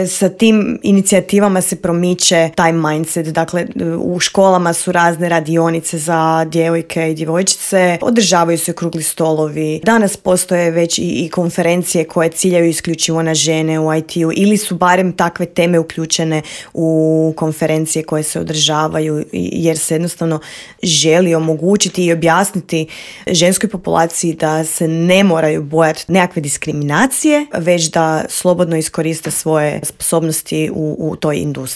sa tim inicijativama se promiče taj mindset. Dakle, u školama su razne radionice za djevojke i djevojčice, održavaju se okrugli stolovi. Danas postoje već i konferencije koje ciljaju isključivo na žene u IT-u ili su barem takve teme uključene u konferencije koje se održavaju, jer se jednostavno želi omogućiti i objasniti ženskoj populaciji da se ne moraju bojati nekakve diskriminacije, već da slobodno iskoriste svoje sposobnosti u toj industriji.